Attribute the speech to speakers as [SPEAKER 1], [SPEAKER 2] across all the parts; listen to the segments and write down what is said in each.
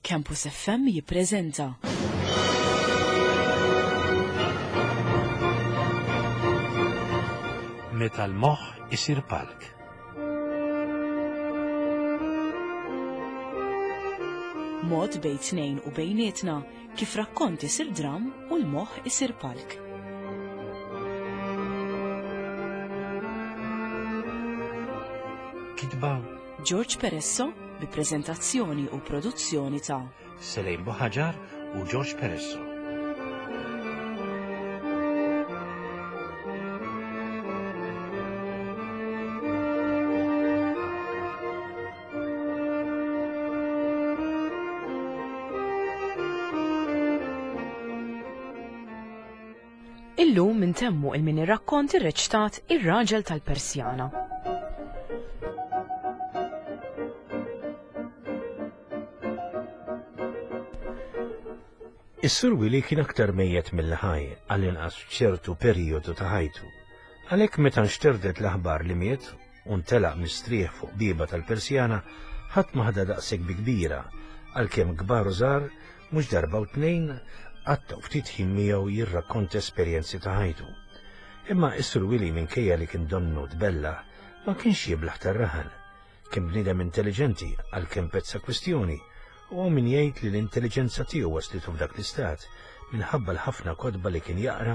[SPEAKER 1] Campus FM jippreżenta.
[SPEAKER 2] Meta l-moħħ isir palk.
[SPEAKER 1] Mod bejn tnejn u bejnietna kif rakkont isir dram u l-moħħ isir palk.
[SPEAKER 2] Kitba
[SPEAKER 1] George Peresso bi preżentazzjoni u produzzjoni ta'
[SPEAKER 2] Selejn Buħaġar u George Peresso.
[SPEAKER 1] Illum intemmu il-mini rakkont irreċtat Ir-Raġel tal-Persjana.
[SPEAKER 2] Is-Sur Willy kien aktar mejjet milli ħaj, għall-inqas f'ċertu perijodu ta' ħajtu. Għalhekk meta nxterdet l-aħbar li miet u ntelaq mistrieħ fuq bieba tal-Persjana, ħadd ma ħadha daqshekk bi kbira, għalkemm kbar u żgħar mhux darba u tnejn qattgħu ftit ħin miegħu jirrakkonta esperjenzi ta' ħajtu. Imma is-Sur Willy minkejja li kien donnu tbellah, ma kienx jiblaħ tar-raħal. Kien bniedem intelliġenti għalkemm pezza kwistjoni, u hawn min jgħid li l-intelliġenza tiegħu waslitu f'dak l-istat minħabba l-ħafna kotba li kien jaqra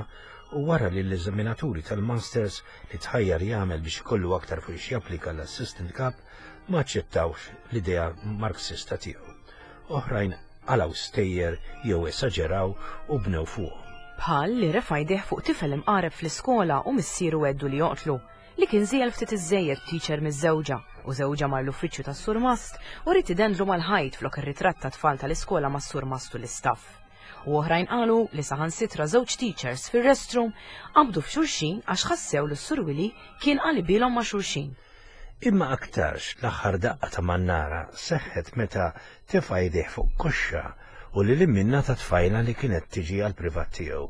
[SPEAKER 2] u wara li l-eżaminaturi tal-Masters li tħajjar jagħmel biex ikollu aktar fuq x'japplika l-Assistant Cup ma aċċettawx l-idea Marxista tiegħu. Oħrajn qalgħu stejjer jew esaġeraw u bnew fuqhom.
[SPEAKER 1] Bħal li refa' jdejh fuq tifel imqareb fl-iskola u missieru għeddu li joqtlu. li kien żiegħel ftit iżżejjed teacher miżżewġa u żewġha mar l-uffiċċju tas-surmast u ried idendlu mal-ħajt flok ir-ritratt tat-tfal tal-iskola mas-surmast u l-istaff. U oħrajn qalu li saħansitra żewġ teachers fir-restroom qabdu f'xulxin għax ħassew li s-Sur Willy kien qalibilhom ma' xulxin.
[SPEAKER 2] Imma aktarx l-aħħar daqqa ta' mannara seħħet meta tefa' jdejh fuq koxxa u lil hinn minnha ta' tfajla li kienet tiġi għall-privat tiegħu,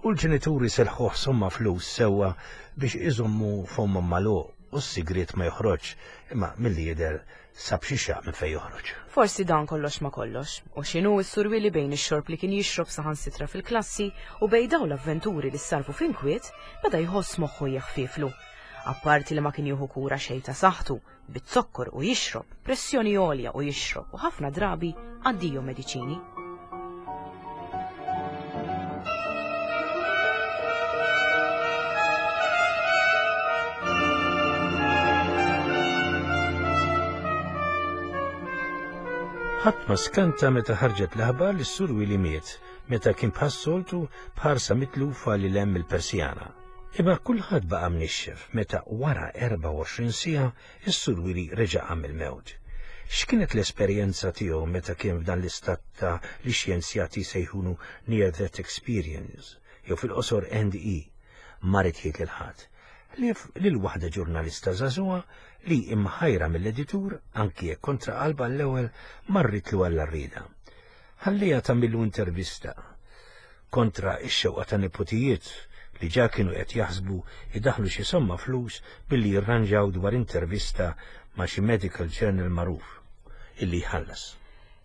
[SPEAKER 2] u l-ġenituri selħuh somma flus sewwa biex iżommu fommhom magħluq u s-sigriet ma joħroġx, imma milli jidher sab xi xaqq minn fejn joħroġ.
[SPEAKER 1] Forsi dan kollox ma' kollox. U x'inhu s-Sur Willy bejn ix-xorb li kien jixrob saħansitra fil-klassi u bejn dawn l-avventuri li ssarrfu f'inkwiet, beda jħoss moħħu jeħfieflu. Apparti li ma kien jieħu kura xejn ta' saħħtu, biz-zokkor u jixrob, pressjoni għolja u jixrob u ħafna drabi addio mediċini.
[SPEAKER 2] Ħadd ma skanta meta ħarġet l-aħbar li s-Sur Willy miet meta kien bħas-soltu b'ħarsa mitlufa lil hemm il-Persjana. Imma kulħadd baqa' mnixxef meta wara 24 siegħa s-Sur Willy reġa' qam mill-mewt. X'kienet l-esperjenza tiegħu meta kien f'dan l-istat ta' li x-xjenzjati jsejħulu near death experience jew fil-qosor NDE? Ma ried jgħid lil ħadd, ħlief lil waħda ġurnalista żagħżugħa li imħajra mill-editur, anki jekk kontra qalbha għall-ewwel, marritlu għall-għarrieda. Ħalliha tagħmillu intervista. kontra x-xewqa ta' neputijiet li ġa kienu qed jaħsbu jdaħħlu xi somma flus billi jirranġaw dwar intervista ma' xi medical journal magħruf, illi jħallas.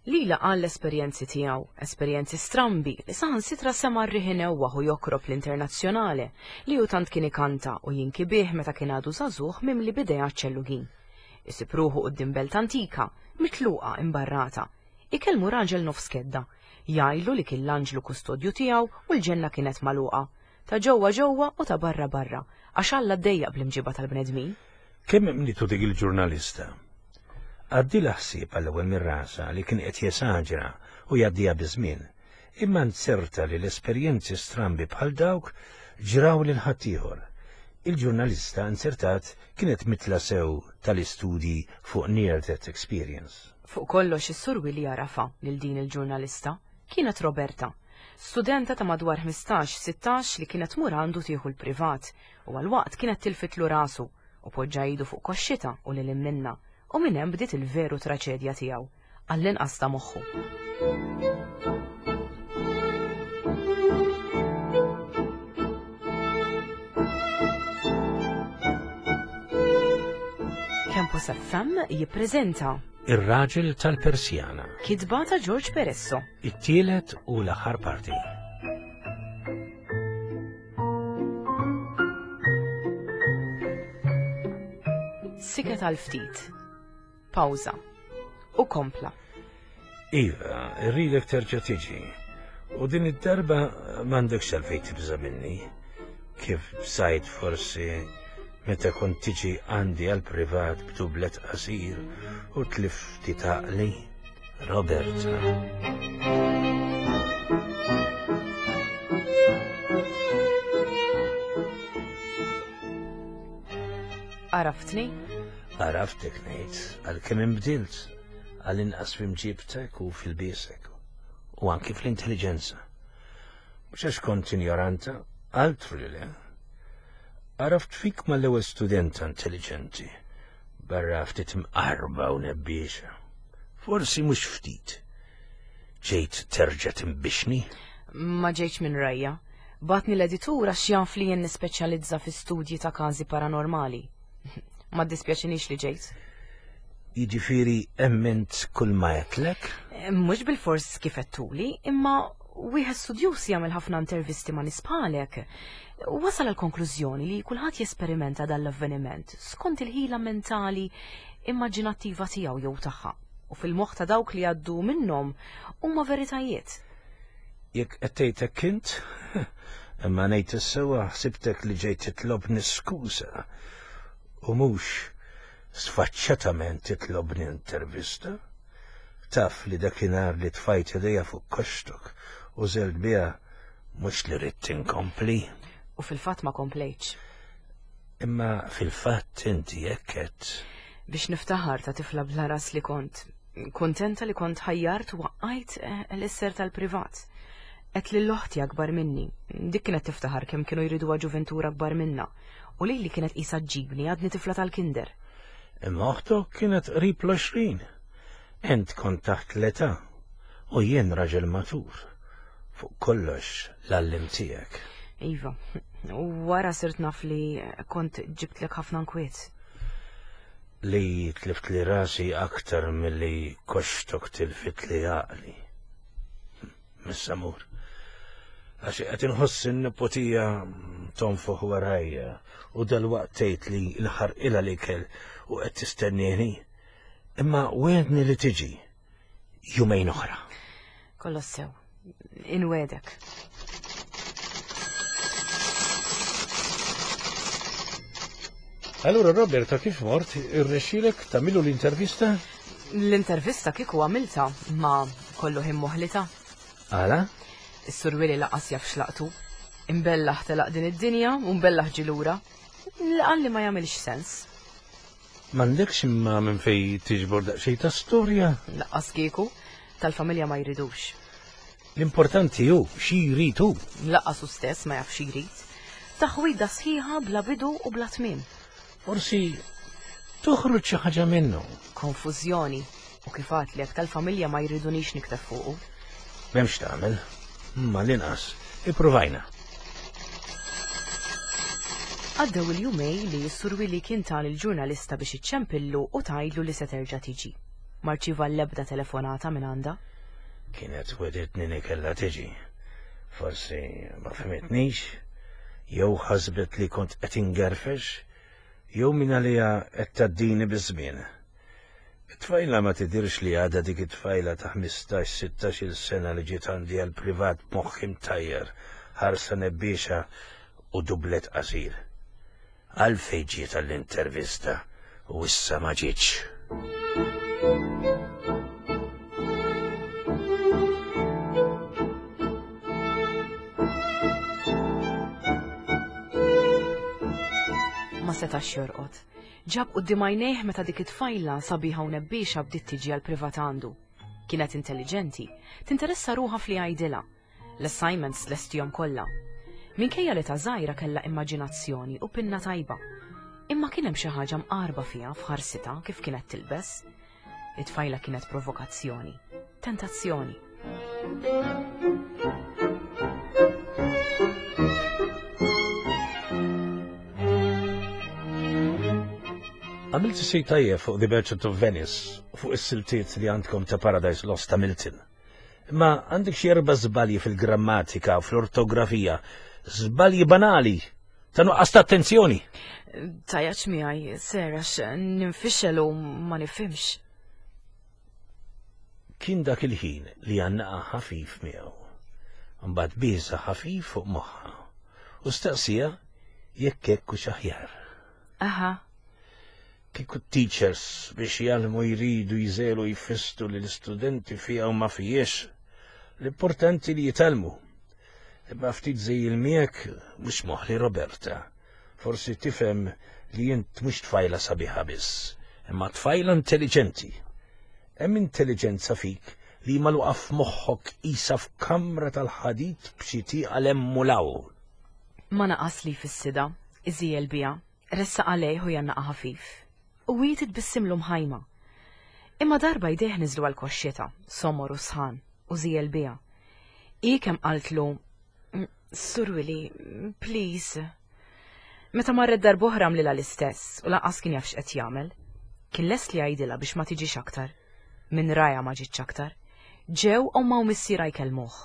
[SPEAKER 1] Lilha qal l-esperjenzi tiegħu, esperjenzi strambi li saħansitra sema' r-riħ inewwaħ u jokrob l-Internazzjonale li hu tant kien ikanta u jinki bih meta kien għadu żagħżugħ mimli b'ideat ċellugin. Isib ruħu quddiem belt antika, mitluqa, imbarrata, Ikellmu raġel nofs kedda. Jgħidlu li kien l-anġlu kustodju tiegħu u l-ġenna kienet magħluqa. Ta' ġewwa ġewwa u ta' barra barra, għax Alla ddejjaq bl-imġiba tal-bnedmin.
[SPEAKER 2] Kemm emmnitu dik il-ġurnalista? Għaddielha ħsieb għall-ewwel minn rasha li kien qed jesaġera u jgħaddiha biż-żmien, imma nzerta li l-esperjenzi strambi bħal dawk ġraw lil ħaddieħor. Il-ġurnalista nzertat kienet mitla sew tal-istudji fuq near death experience.
[SPEAKER 1] Fuq kollox is-Sur Willy għarafha lil din il-ġurnalista. Kienet Roberta. Studenta ta' madwar 15, 16 li kienet tmur għandu tieħu l-privat u għal waqt kienet tilfitlu rasu u poġġa idu fuq koxxitha u lil hinn minnha u minn hemm bdiet il-veru traċedja tiegħu, għall-inqas ta' moħħu. Campus FM jippreżenta.
[SPEAKER 2] Ir-raġel tal-Persjana.
[SPEAKER 1] Kitba ta' George Peresso.
[SPEAKER 2] It-tielet u l-aħħar parti.
[SPEAKER 1] Siket għal ftit. Pawża. U kompla.
[SPEAKER 2] Iva, rridek terġa' tiġi. U din id-darba m'għandekx għalfejn tibża' minni. Kif bżajt forsi meta kont tiġi għandi għal privat b'dublet qasir u tlifti taqli. Roberta.
[SPEAKER 1] Għaraftni?
[SPEAKER 2] Għaraftek ngħid, għalkemm inbdilt, għall-inqas f'imġibtek u fil-biesek, u anki fl-intelliġenza. Mhux għax kont injoranta, altru li le. Għaraft fik mal-ewwel studenta intelligenti, barra ftit mqarba u nebbiexa. Forsi mhux ftit. Ġejt terġa' timbixni?
[SPEAKER 1] Ma ġejtx minn rajja. Bagħatni l-editur għax jaf li jien nispeċjalizza fi studji ta' każi paranormali. Ma ddispjaċinix li ġejt.
[SPEAKER 2] Jiġifieri emmint kull ma għedtlek?
[SPEAKER 1] Eh, mhux bil-fors kif għedtuli, imma wieħed studjuż jagħmel ħafna intervisti ma' nies bħalek. Wasal għal konklużjoni li kulħadd jesperimenta dan l-avveniment skont il-ħila mentali immaġinattiva tiegħu jew tagħha u fil-moħħ ta' dawk li għaddu minnhom huma veritajiet.
[SPEAKER 2] Jekk qed tgħid hekk int, imma ngħid is-sewwa ħsibtek li ġejt titlobni skuża u mhux sfaċċatament titlobni intervista. Taf li dakinhar li tfajt idejja fuq koxtok u żelt biha mhux li ridt inkompli.
[SPEAKER 1] U fil-fatt ma komplejtx.
[SPEAKER 2] Imma fil-fatt inti hekk għedt.
[SPEAKER 1] Biex niftaħar ta' tifla bla ras li kont. Kuntenta li kont ħajjart u waqqajt eh, l-isser tal-privat. Għedt lil oħti akbar minni. Dik kienet tiftaħar kemm kienu jriduha ġuventura akbar minna. U lili kienet qisha ġġibni għadni tifla tal-kinder.
[SPEAKER 2] Imma oħtok kienet qrib l-20. Int kont taħt l-età u jien raġel matur. Fuq kollox l-għalliem tiegħek.
[SPEAKER 1] Iva, u wara sirt naf li kont ġibtlek ħafna nkwiet.
[SPEAKER 2] Li tliftli rasi aktar milli koxtok tilfitli għaqli. Missa mur. Għax qed inħoss in-nepotija tonfoħ warajja u dalwaqt tgħid li l-ħarqilha l-ikel u qed tistennieni. Imma wegħedni li tiġi jumejn oħra.
[SPEAKER 1] Kollox sew. Inwegħdek.
[SPEAKER 2] Allura Roberta kif mort, irnexxielek tagħmillu l-intervista?
[SPEAKER 1] L-intervista kieku għamilta, ma kollu ħin moħlita.
[SPEAKER 2] Għala?
[SPEAKER 1] Is-Sur Willy laqas jaf x'laqtu. Imbellaħ telaq din id-dinja u mbellaħ ġie lura. Qal li ma jagħmilx sens.
[SPEAKER 2] M'għandekx imma minn fejn tiġbor daqsxejn ta' storja?
[SPEAKER 1] Laqqas kieku, tal-familja ma jridux.
[SPEAKER 2] L-importanti hu xi jrid hu.
[SPEAKER 1] Laqqas hu stess ma jaf xi jrid. Taħwida sħiħa bla bidu u bla tmiem.
[SPEAKER 2] Forsi toħroġ xi ħaġa minnu.
[SPEAKER 1] Konfużjoni. U kif għadtlek tal-familja ma jridunix nikteb fuqu.
[SPEAKER 2] M'hemmx tagħmel. Ma l-inqas ippruvajna.
[SPEAKER 1] Għaddew il-jumej li s-Sur Willy kien ta lill-ġurnalista biex iċċempillu u tgħidlu li se terġa' tiġi. Ma rċieva l-ebda telefonata minn għandha.
[SPEAKER 2] Kienet wegħditni li kellha tiġi. Forsi ma fehmitnix, jew ħasbet li kont qed ingerfex, jew mingħaliha qed tgħaddini biż-żmien. It-tfajla ma tidhirx li għadha dik it-tfajla ta' ħmistax, sittax-il sena li ġiet għandi għall-privat b'moħħ imtajjar, ħarsa nebbiexa u dublet qasir. Għalfejn ġiet għall-intervista u issa ma ġietx?
[SPEAKER 1] Ma setax jorqod. Ġab quddiem għajnejh meta dik it-tfajla sabiħa u nebbiexa bdiet tiġi għall-privat għandu. Kienet intelliġenti, tinteressa ruħha f'li jgħidilha. L-assignments lestihom kollha. Minkejja li ta' żgħira kellha immaġinazzjoni u pinna tajba. Imma kien hemm xi ħaġa mqarba fiha f'ħarsitha kif kienet tilbes. It-tfajla kienet provokazzjoni, tentazzjoni.
[SPEAKER 2] Għamilt xi tajjeb fuq The Merchant of Venice u fuq is-siltiet li għandkom ta' Paradise Lost ta' Milton. Imma għandek xi erba' żbalji fil-grammatika u fl-ortografija, żbalji banali ta' nuqqas ta' attenzjoni.
[SPEAKER 1] Tajaċ miegħi, ser għax ninfixel u ma nifhimx.
[SPEAKER 2] Kien dak il-ħin li għannaqa ħafif miegħu. Mbagħad biża ħafif fuq moħħha u staqsija jekk hekk hux aħjar.
[SPEAKER 1] Aha.
[SPEAKER 2] Kieku teachers biex jgħallmu jridu jżelu jfistu li l-istudenti fija u ma fijiex, l-importanti li jitgħallmu. Imma ftit żejjil miegħek mhux moħli Roberta. Forsi tifhem li int mhux tfajla sabiħa biss, imma tfajla intelligenti. Hemm intelligenza fik li magħluqa f'moħħok qisha f'kamra tal-ħadid b'xi tieqa 'l hemm u 'l hawn.
[SPEAKER 1] Ma naqas li jfissidha, iżiegħel biha, ressaqha lejh u jgħannaqha ħafif. U hi titbissimlu mħajma. Imma darba jdejh niżlu għal koxxitha, somor u sħan, u żiegħel biha. Hi kemm qaltlu, Sur Willy, please. Meta marret darb'oħra għamlilha l-istess u lanqas kien jaf x'qed jagħmel. Kien lest li jgħidilha biex ma tiġix aktar. Minn rajha ma ġietx aktar. Ġew ommha u missierha jkellmuh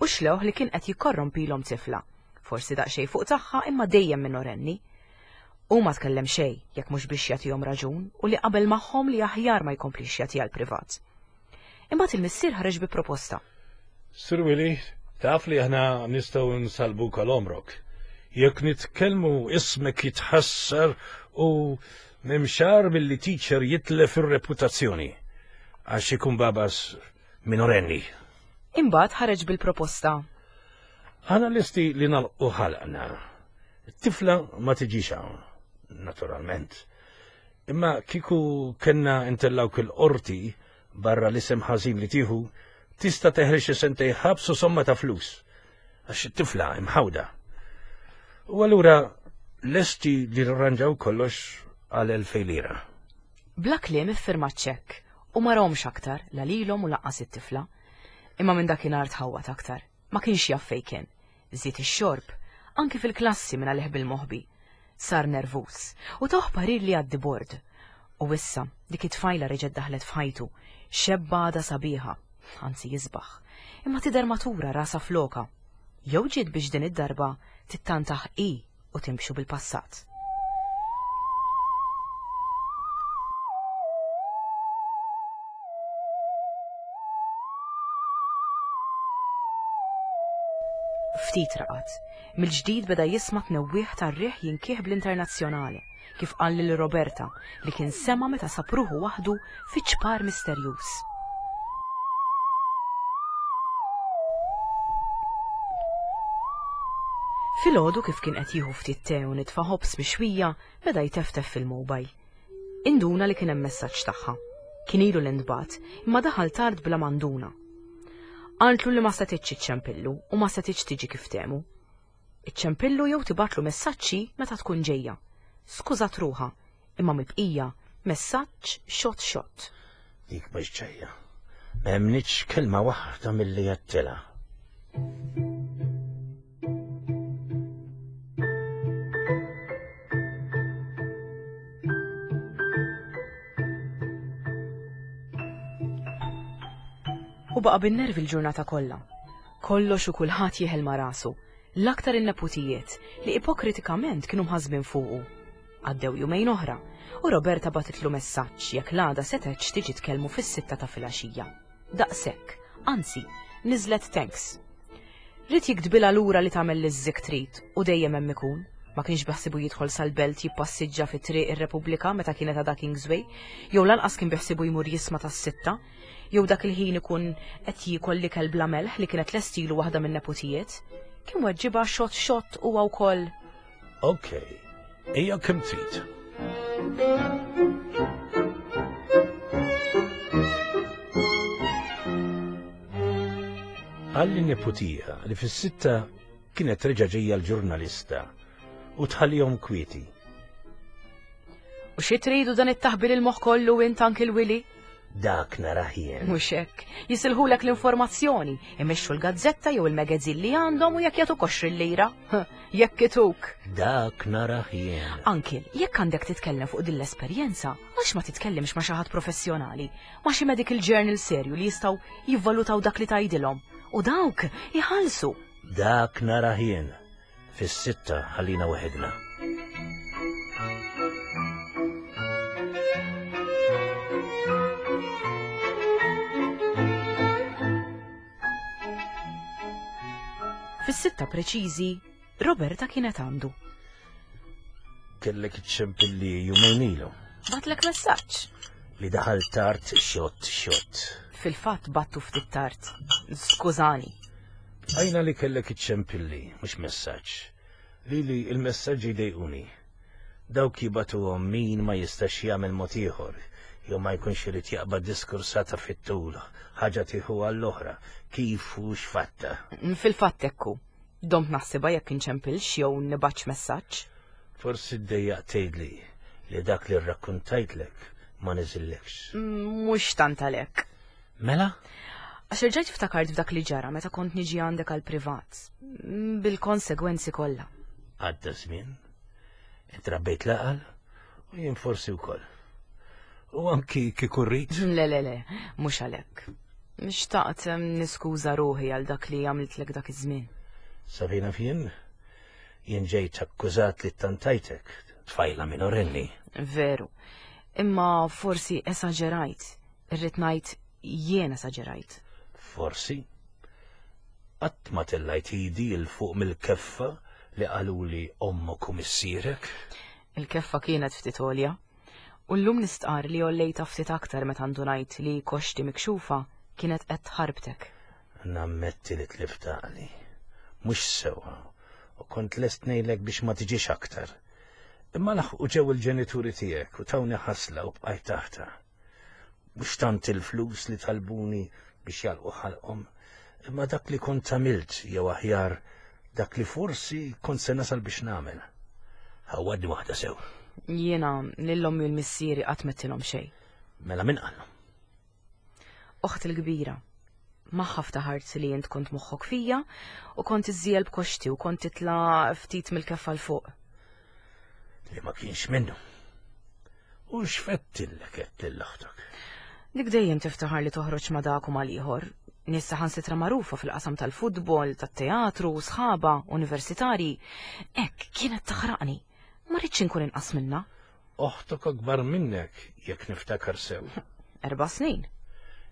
[SPEAKER 1] u xlewh li kien qed jikkorrompilhom tifla, forsi daqsxejn fuq tagħha imma dejjem minorenni. Hu ma tkellem xejn jekk mhux biex jagħtihom raġun u li qabel magħhom li aħjar ma jkomplix jagħtiha l-privat. Imbagħad il-missier ħareġ bi proposta.
[SPEAKER 2] Sir Willy, taf li aħna nistgħu nsalbuk għal għomrok. Jekk nitkellmu ismek jitħassar u m'hemmx agħar milli teacher jitlef ir-reputazzjoni għax ikun babas minorenni.
[SPEAKER 1] Imbagħad ħareġ bil-proposta.
[SPEAKER 2] Aħna lesti li nagħlqu ħalqna. It-tifla ma tiġix hawn, naturalment. Imma kieku kellna ntellgħuk il-qorti barra l-isem ħażin li tieħu, tista' teħel xi sentej ħabs u somma ta' flus. Għax it-tifla imħawda. U allura lesti li rranġaw kollox għal 2000 lira.
[SPEAKER 1] Bla kliem iffirma ċ-ċekk u ma rahomx aktar la lilhom u lanqas it-tifla. Imma minn dakinhar tħawwad aktar. Ma kienx jaf fejn kien. Żied ix-xorb, anki fil-klassi minn għalih bil-moħbi. Sar nervuż u tawh parir li jgħaddi bord. U issa, dik it-tfajla reġgħet daħlet f'ħajtu, xebba għadha sabiħa, anzi isbaħ, imma tidher matura rasha f'lokha. Jew ġiet biex din id-darba tittantah hi u timxu bil-passat. Ftit raqad. Mill-ġdid beda jisma' tnewwieħ tar-riħ jinkih bl-Internazzjonale, kif qal lil Roberta li kien sema' meta sab ruħu waħdu fi ċpar misterjuż. Filgħodu kif kien qed jieħu ftit te u nitfa' ħobż mixwija, beda jteftef fil-mobile. Induna li kien hemm messaġġ tagħha. Kien ilu li ntbagħat, imma daħal tard bla ma nduna. Qaltlu li ma setgħetx iċċempillu u ma setgħetx tiġi kif ftehmu. Iċċempillu jew tibgħatlu messaġġ hi meta tkun ġejja. Skużat ruħha, imma mill-bqija messaġġ xott xott.
[SPEAKER 2] Dik mhux ġejja. Ma emmnitx kelma waħda milli għedtilha.
[SPEAKER 1] U baqa' bin-nervi l-ġurnata kollha. Kollox u kulħadd jeħel ma' rasu, l-aktar in-neputijiet li ipokritikament kienu mħassbin fuqu. Għaddew jumejn oħra u Roberta bagħtitlu messaġġ jekk l-għada setgħetx tiġi tkellmu fis-sitta ta' filgħaxija. Daqshekk, anzi, niżlet thanks. Ried jiktbilha lura li tagħmel li żżikk trid u dejjem hemm ikun. Ma kienx beħsiebu jidħol sal-belt jippassiġġa fi Triq ir-Repubblika meta kienet għadha Kingsway, jew lanqas kien beħsiebu jmur jisma' tas-sitta, jew dak il-ħin ikun qed jiekol l-ikel bla melħ li kienet lestilu waħda min-neputijiet. Kien weġġibha xott xott huwa wkoll.
[SPEAKER 2] Ok, ejja kemm trid. Qal lin-neputija li fis-sitta kienet reġa' ġejja l-ġurnalista u tħallihom kwieti.
[SPEAKER 1] U xi tridu dan it-taħbil il-moħħ kollu int Uncle Willy?
[SPEAKER 2] Dak narah jien.
[SPEAKER 1] Mhux hekk. Jisilħulek l-informazzjoni, imexxu l-gazzetta jew il-magazin li għandhom u jekk jagħtuk 20 lira. Jekk ituk.
[SPEAKER 2] Dak narah jien.
[SPEAKER 1] Anki, jekk għandek titkellem fuq din l-esperjenza, għax ma titkellimx ma' xi ħadd professjonali, ma' xi medical journal serju li jistgħu jivvalutaw dak li tgħidilhom. U dawk iħallsu.
[SPEAKER 2] Dak narah jien. Fis-sitta ħallina weħidna.
[SPEAKER 1] Fis-sitta preċiżi, Roberta kienet għandu.
[SPEAKER 2] Kellek iċċempilli jumejn ilu.
[SPEAKER 1] Batlek messaġġ.
[SPEAKER 2] Li daħal tard xott xott.
[SPEAKER 1] Fil-fatt battu ftit tard. Skużani.
[SPEAKER 2] Għajna li kellek iċċempilli, mhux messaġġ. Lili il-messaġġi jdejquni. Dawk jibatuhom min ma jistax jagħmel mod ieħor, jew ma jkunx irid jaqbad diskursata fit-tul, ħaġa tieħu għall-oħra, kif u x'fatta.
[SPEAKER 1] Fil-fatt hekk hu. Domt naħsibha jekk inċempilx jew nibgħatx messaġġ.
[SPEAKER 2] Forsi ddejjaq tgħidli li dak li rrakkuntajtlek ma niżillekx.
[SPEAKER 1] Mhux tant għalhekk.
[SPEAKER 2] Mela?
[SPEAKER 1] Għax irġajt ftakart f'dak li ġara meta kont niġi għandek għal privat. Bil-konsegwenzi kollha.
[SPEAKER 2] Għadda żmien, intrabbejt laqal u jien forsi wkoll. U anki kieku rrid.
[SPEAKER 1] Le, le, le, mhux għalhekk. Xtaqt niskuża ruħi għal dak li għamiltlek dak iż-żmien.
[SPEAKER 2] Sabina fien, jien ġejt akkużat li tantajtek, tfajla minorenni.
[SPEAKER 1] Veru. Imma forsi esaġerajt. Irrid ngħid jien esaġerajt.
[SPEAKER 2] Forsi. Qatt ma tellajt idi 'l fuq mill-keffa li qaluli ommok u missierek.
[SPEAKER 1] Il-keffa kienet ftit għolja. U llum nistqarr li għollejtha ftit aktar meta ndunajt li koxxti mikxufa kienet qed tħarbtek.
[SPEAKER 2] Nammetti li tlift għaqli. Mhux sewwa, u kont lest ngħidlek biex ma tiġix aktar. Imma laħqu ġew il-ġenituri tiegħek u tawni ħasla u bqajt taħtha. Mhux tant il-flus li talbuni biex jagħlqu ħalqhom, imma dak li kont għamilt jew aħjar dak li forsi kont se nasal biex nagħmel. Ħawwadni waħda sew.
[SPEAKER 1] Jiena lil ommi u l-missieri qatt m'għedtilhom xejn.
[SPEAKER 2] Mela min qalhom?
[SPEAKER 1] Oħti l-kbira. Magħha ftaħart li int kont moħħok fija u kont iżżiegħel b'koxti u kont titla' ftit mill-keffa 'l fuq.
[SPEAKER 2] Li ma kienx minnu. U x'fettillek qed lil oħtok?
[SPEAKER 1] Dik dejjem tiftaħar li toħroġ ma' dak u mal-ieħor. Nies saħansitra magħrufa fil-qasam tal-futbol, tat-teatru, sħaba, universitarji. Hekk kienet taħraqni. Ma ridtx inkun inqas minnha.
[SPEAKER 2] Oħtok akbar minnek, jekk niftakar sew.
[SPEAKER 1] Erba' snin.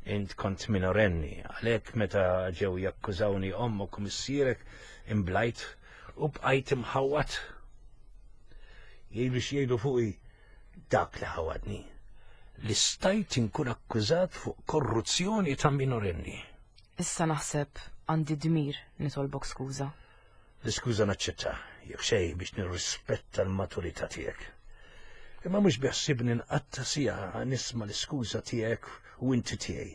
[SPEAKER 2] Int kont minorenni, għalhekk meta ġew jakkużawni ommok u missierek imblajt u bqajt imħawwad. Jgħidu x'jgħidu fuqi dak li ħawadni. Li stajt inkun akkużat fuq korruzzjoni ta' minorenni.
[SPEAKER 1] Issa naħseb għandi dmir nitolbok skuża.
[SPEAKER 2] L-iskuża naċċetta, jekk xejn biex nirrispetta l-maturità tiegħek. Imma mhux beħsibni nqatta' siegħa nisma' l-iskuża tiegħek u inti tiegħi.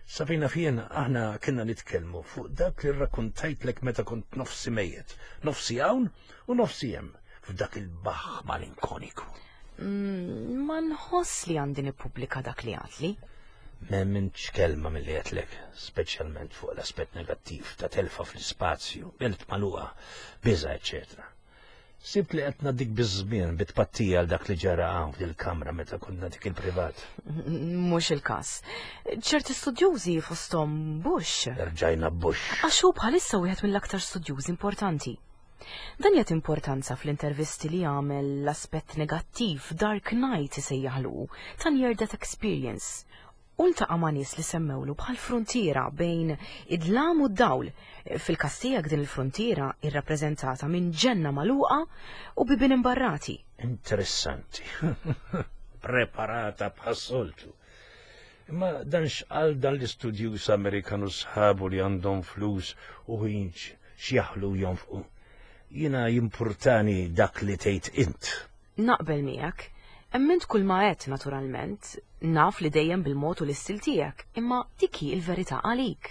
[SPEAKER 2] Sa fejn naf jien aħna kienna nitkellmu fuq dak li rrakkuntajtlek meta kont nofsi mejjet, nofsi hawn u nofsi hemm f'dak il-baħħ malinkoniku.
[SPEAKER 1] Mm, ma nħoss li għandi nippubblika dak li għatli.
[SPEAKER 2] M'emmintx kelma milli għedtlek, speċjalment fuq l-aspett negattiv ta' telfa fl-ispazju, belt magħluqa, biża' eċċetera. Sibt li qed ngħaddik biż-żmien bi tpattija għal dak li ġara hawn f'dil-kamra meta kont nagħtik il-privat.
[SPEAKER 1] Mhux il-każ. Ċerti studjużi fosthom Bush.
[SPEAKER 2] Erġajna Bush.
[SPEAKER 1] Għax hu bħalissa wieħed mill-aktar studjużi importanti. Dan jagħti importanza fl-intervisti li jagħmel l-aspett negattiv, dark night isejjaħlu, ta' near death experience. U ltaqa' ma' nies li semmewlu bħal fruntiera bejn id-dlam u d-dawl. Fil-każ tiegħek din il-fruntiera hi rrappreżentata minn ġenna magħluqa u bibien imbarrati.
[SPEAKER 2] Interessanti. Preparata bħas-soltu. Imma dan x'qal dan l-istudjuż Amerikan u sħabu li għandhom flus u ħin x'jaħlu u jonfqu. Jiena jimpurtani dak li tgħid int.
[SPEAKER 1] Naqbel miegħek. Emmint kull ma għedt naturalment, naf li dejjem bil-mod u l-istil tiegħek, imma dik hi l-verità għalik.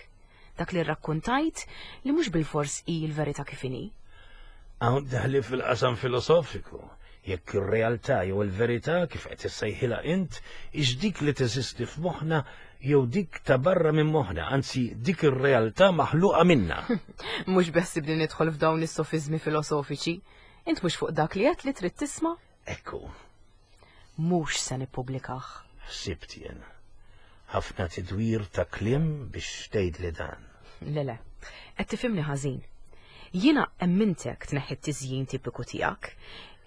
[SPEAKER 1] Dak li rrakkuntajt li mhux bilfors hi l-verità kif inhi.
[SPEAKER 2] Hawn daħli fil-qasam filosofiku. Jekk ir-realtà jew il-verità kif qed issejħilha int hix dik li teżisti f'moħħna jew dik ta' barra minn moħħna, anzi dik ir-realtà maħluqa minna.
[SPEAKER 1] Mhux beħsibni nidħol f'dawn is-sofiżmi filosofiċi. Int mhux fuq dak li għedt li trid tisma'?
[SPEAKER 2] Ekku.
[SPEAKER 1] Mhux se nippubblikah.
[SPEAKER 2] Ħsibt jien. Ħafna tidwir ta' kliem biex tgħidli dan.
[SPEAKER 1] Le le, qed tifhimni ħażin. Jiena emmintek tneħħi t-tiżjin tipiku tiegħek,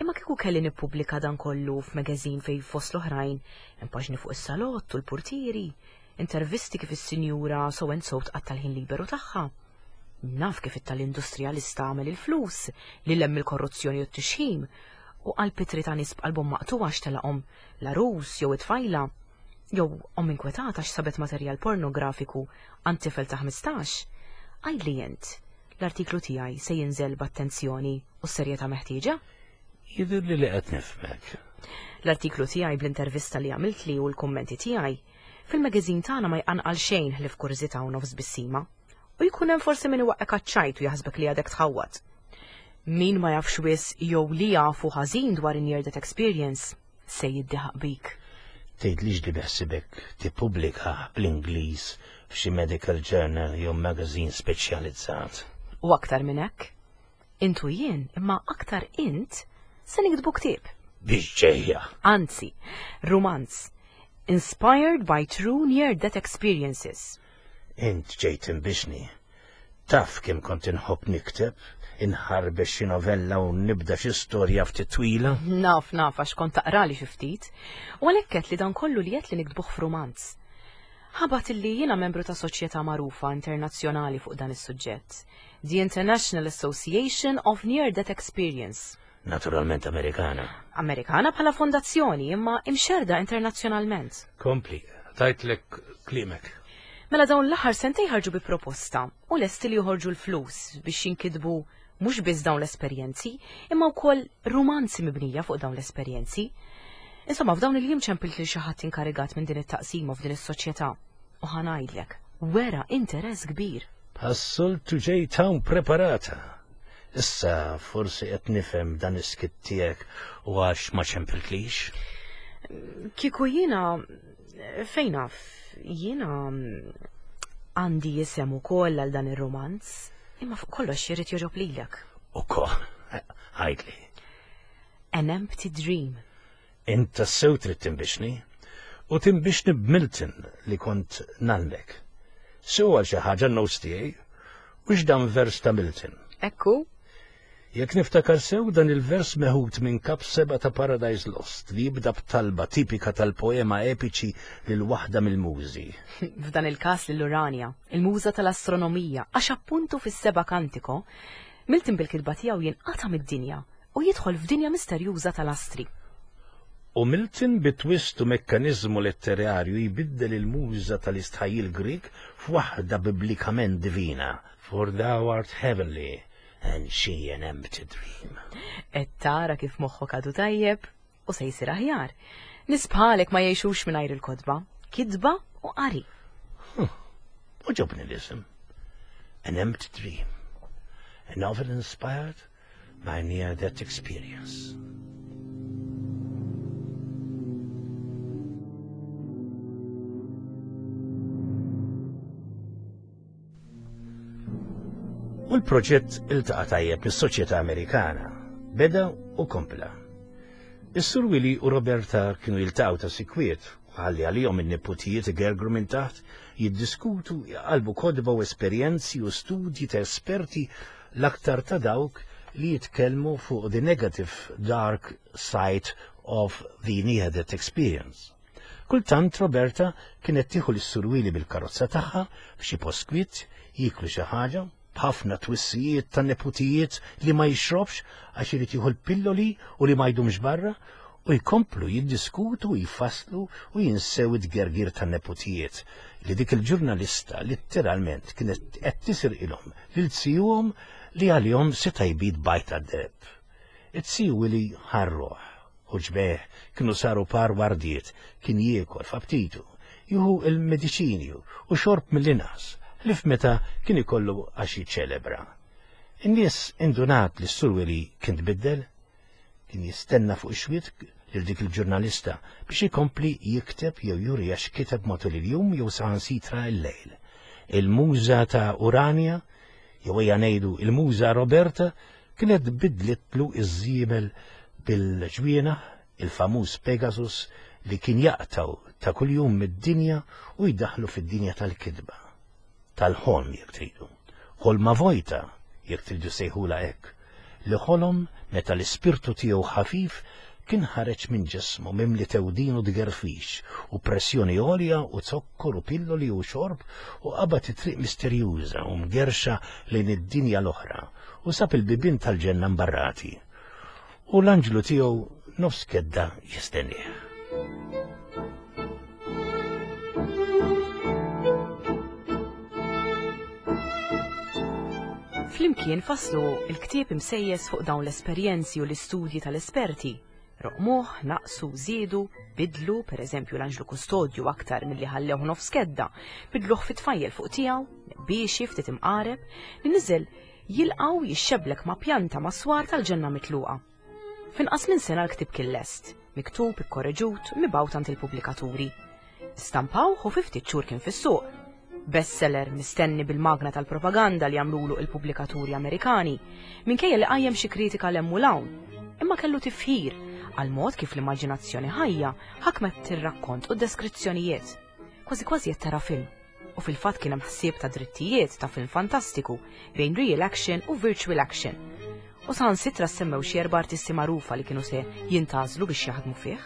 [SPEAKER 1] imma kieku kelli nippubblika dan kollu f'magazine fejn fost l-oħrajn hemm paġni fuq is-salott u l-purtieri, intervisti kif is-sinjura so and so tqatta' l-ħin liberu tagħha. Naf kif it-tal-industrijalista għamel il-flus, li lemm il-korruzzjoni u t-tixħim, u qalb itri ta' nies b'qalbhom maqtugħa x'telaqhom l-għarus jew it-tfajla, jew omm inkwetata x'sabet materjal pornografiku għand tifel ta' 15. Għidli int, l-artiklu tiegħi se jinżel b'attenzjoni u s-serjetà meħtieġa?
[SPEAKER 2] Jidhirli li qed nifhmek.
[SPEAKER 1] L-artiklu tiegħi bl-intervista li għamiltli u l-kummenti tiegħi fil-magazine tagħna ma jqanqal xejn ħlief kurżità u nofs tbissima. U jkun hemm forsi min iwaqqek għaċ-ċajt u jaħsbek li għadek tħawwad. Min ma jafx wisq jew li jafu ħażin dwar in-near death experience se jiddiħaq bik.
[SPEAKER 2] Tgħidlix li beħsibek tippubblika bl-Ingliż f'xi medical journal jew magazine speċjalizzat.
[SPEAKER 1] U aktar minn hekk, int u jien, imma aktar int, se niktbu ktieb.
[SPEAKER 2] Biex ġejja.
[SPEAKER 1] Anzi, rumanz. Inspired by true near death experiences.
[SPEAKER 2] Int ġejt tinbixni. Taf kemm kont inħobb nikteb, inħarbex xi novella u nibda xi storja ftit twila.
[SPEAKER 1] Naf, naf, għax kont taqrali xi ftit. U għalhekk għedt li dan kollu li għedt li niktbuh f'rumanz. Ħabat illi jiena membru ta' soċjetà magħrufa internazzjonali fuq dan is-suġġett, The International Association of Near Death Experience.
[SPEAKER 2] Naturalment Amerikana.
[SPEAKER 1] Amerikana bħala fondazzjoni, imma imxerda internazzjonalment.
[SPEAKER 2] Kompli, tajtlek kliemek.
[SPEAKER 1] Mela dawn l-aħħar sentej ħarġu bi proposta u lesti li joħorġu l-flus biex jinkitbu mhux biss dawn l-esperjenzi, imma wkoll rumanzi mibnija fuq dawn l-esperjenzi. Insomma, f'dawn il-jiem ċempilt lil xi ħadd inkarigat minn din it-taqsima f'din is-soċjetà u ħa ngħidlek, wera interess kbir.
[SPEAKER 2] Bħas-soltu ġejt hawn preparata. Issa forsi qed nifhem dan is-skitt tiegħek u għax ma ċempiltlix.
[SPEAKER 1] Kieku jiena fejn naf, jiena għandi isem ukoll għal dan ir-romanz, imma fuq kollox jrid jogħġob lilek.
[SPEAKER 2] Ukoll, għidli.
[SPEAKER 1] An Empty Dream.
[SPEAKER 2] Int tassew trid tinbixni, u tinbixni b'Milton li kont ngħallmek. Sew għal xi ħaġa n-notes tiegħi, u x'dan vers ta' Milton.
[SPEAKER 1] Ekku.
[SPEAKER 2] Jekk niftakar sew dan il-vers meħud minn kap seba' ta' Paradise Lost li jibda b'talba tipika tal-poema epiċi lil waħda mill-mużi.
[SPEAKER 1] F'dan il-każ lil Urania, il-muża tal-astronomija, għax appuntu fis-seba' kantiko, Milton bil-kitba tiegħu jinqata' mid-dinja u jidħol f'dinja misterjuża tal-astri.
[SPEAKER 2] U Milton bi twist u mekkaniżmu letterarju jbiddel il-muża tal-istħajjil Grieg f'waħda biblikament divina, For thou art heavenly, and she an empty dream.
[SPEAKER 1] Qed tara kif moħħok għadu tajjeb u se jsir aħjar. Nies bħalek ma jgħixux mingħajr il-kotba, kitba u qari.
[SPEAKER 2] Għoġobni l-isem. An empty dream. A novel inspired by near-death experience. U l-proġett iltaqa' tajjeb mis-soċjetà Amerikana. Beda u kompla. Is-Sur Willy u Roberta kienu jiltaqgħu ta' sikwiet u ħalli għalihom in-neputijiet igergru minn taħt, jiddiskutu, jqallbu kotba u esperjenzi u studji ta' esperti l-aktar ta' dawk li jitkellmu fuq the negative dark side of the near-death experience. Kultant Roberta kienet tieħu lis-Sur Willy bil-karozza tagħha f'xi post kwiet, jieklu xi ħaġa, b'ħafna twissijiet tan-neputijiet li ma jixrobx għax irid jieħu l-pilloli u li ma jdumx barra, u jkomplu jiddiskutu u jfasslu u jinsew it-tgergir tan-neputijiet li dik il-ġurnalista litteralment kienet qed tisirqilhom lil zijuhom li għalihom seta' jbid bajta deheb. Iz-ziju Willy ħa r-ruħ u ġbejh kienu saru par wardiet, kien jiekol f'aptitu, jieħu l-mediċini u xorb mill-inqas, ħlief meta kien ikollu għax jiċċelebra. In-nies indunat li s-Sur Willy kien tbiddel. Kien jistenna fuq ix-xwiet lil dik il-ġurnalista biex ikompli jikteb jew juriha x'kiteb matul il-jum jew saħansitra l-lejl. Il-muża ta' Urania, jew ejja ngħidu il-muża Roberta, kienet bidlitlu iż-żiemel bil-ġwienaħ, il-famuż Pegasus li kien jaqtgħu ta' kuljum mid-dinja u jdaħħlu fid-dinja tal-kitba. Tal-ħolm jekk tridu. Ħolma vojta jekk tridu sejħulha hekk, li ħolom meta l-ispirtu tiegħu ħafif kien ħareġ minn ġismu mimli tewdin u tgerfix u pressjoni għolja u zokkor u pilloli u xorb u qabad it-triq misterjuża u mgerrxa lejn id-dinja l-oħra u sab il-bibien tal-ġenna mbarrati u l-anġlu tiegħu nofs kedda jistennieh.
[SPEAKER 1] Flimkien fasslu l-ktieb imsejjes fuq dawn l-esperjenzi u l-istudji tal-esperti. Roqmuh, naqsu, żiedu, bidlu, pereżempju l-anġlu kustodju aktar milli ħallewh nofs kedda, bidluh fi tfajjel fuq tiegħu, biexi ftit imqareb, li niżel jilqgħu jixxeblek ma' pjanta ma' swar tal-ġenna mitluqa. F'inqas minn sena l-ktieb kien lest, miktub, ikkoreġut, mibgħut għand il-pubblikaturi. Stampawh u fi ftit xhur kien fis-suq. Bestseller mistenni bil-magna tal-propaganda li għamlulu il-pubblikaturi Amerikani, minkejja li qajjem xi kritika 'l hemm u 'l hawn. Imma kellu tifħir għall-mod kif l-immaġinazzjoni ħajja ħakmet ir-rakkont u d-deskrizzjonijiet. Kważi kważi qed tara film. U fil-fatt kien hemm ħsieb ta' drittijiet ta' film fantastiku bejn real action u virtual action. U saħansitra ssemmew xi erba' artisti magħrufa li kienu se jintgħażlu biex jaħdmu fih.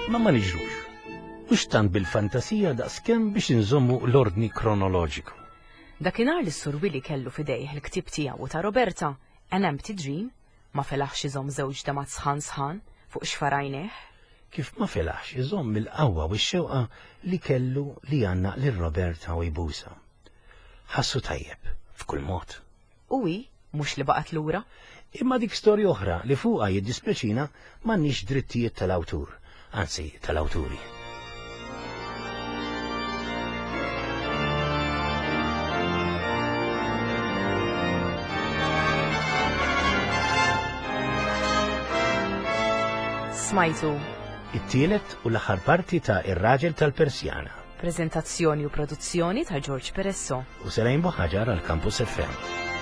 [SPEAKER 2] Ma ma niġrux. Mhux tant bil-fantasija daqskemm biex inżommu l-ordni kronoloġiku.
[SPEAKER 1] Dakinhar li s-Sur Willy kellu f'idejh il-ktieb tiegħu u ta' Roberta, An Empty Dream, Ma felaħx iżomm żewġ damgħat sħan sħan fuq xfar għajnejh.
[SPEAKER 2] Kif ma felaħx iżomm il-qawwa u x-xewqa li kellu li jgħannaq lil Roberta u jbusha. Ħassu tajjeb, f'kull mod.
[SPEAKER 1] U hi, mhux li baqgħet lura.
[SPEAKER 2] Imma dik storja oħra li fuqha jiddispjaċina m'għandniex drittijiet tal-awtur, anzi tal-awturi.
[SPEAKER 1] Smajtu.
[SPEAKER 2] It-tielet u l-aħħar parti ta' Ir-Raġel tal-Persjana.
[SPEAKER 1] Preżentazzjoni u produzzjoni ta' George Peresso.
[SPEAKER 2] U Selejn Buħaġar għal Campus FM.